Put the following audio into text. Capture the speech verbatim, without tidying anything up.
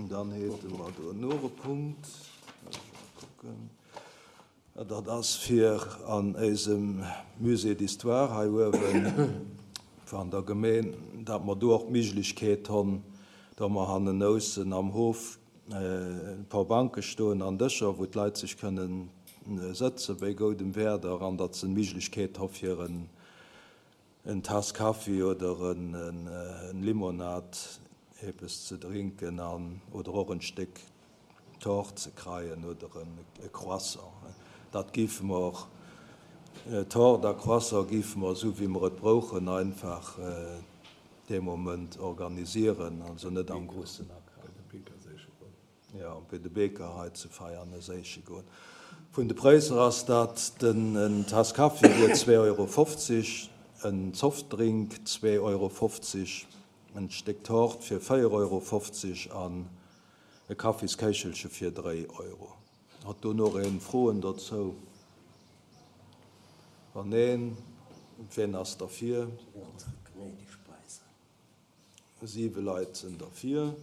Dann hate mer do nach e Punkt. Kucken. Dat ass fir an eisem Musée d'Histoire hei uewen van der Gemeen, dat mer do och d'Méiglechkeet hunn, da mer hannenaussen am Hof e paar Banke stoen an Dëscher, wou d'Leit sech kënnen sëtze bei goudem Wieder an dat se d'Méiglechkeet hu fir en en Tass Kaffi oder en, en, en Limonad eppes ze drénken an oder och en Stéck Tort ze kréien oder en e Croissant. Dat géife mer och Tort a Croissant géife mer sou wéi mer et brauchen einfach äh, dee Moment organisieren, also net am groussen Ja, bei de Bäcker hei zu Veianen séiche goen. Vun de Präisser ass dat den en Tass Kaffi wier zwee Euro fofzeg, en Softdrink zwee Euro fofzeg, en Stéck Tort fir véier Euro fofzeg an e Kaffiskéichelche fir dräi Euro. Hat do nach een Froen dozou? Wann neen, wien ass derfir? Siwe Leit sinn derfir.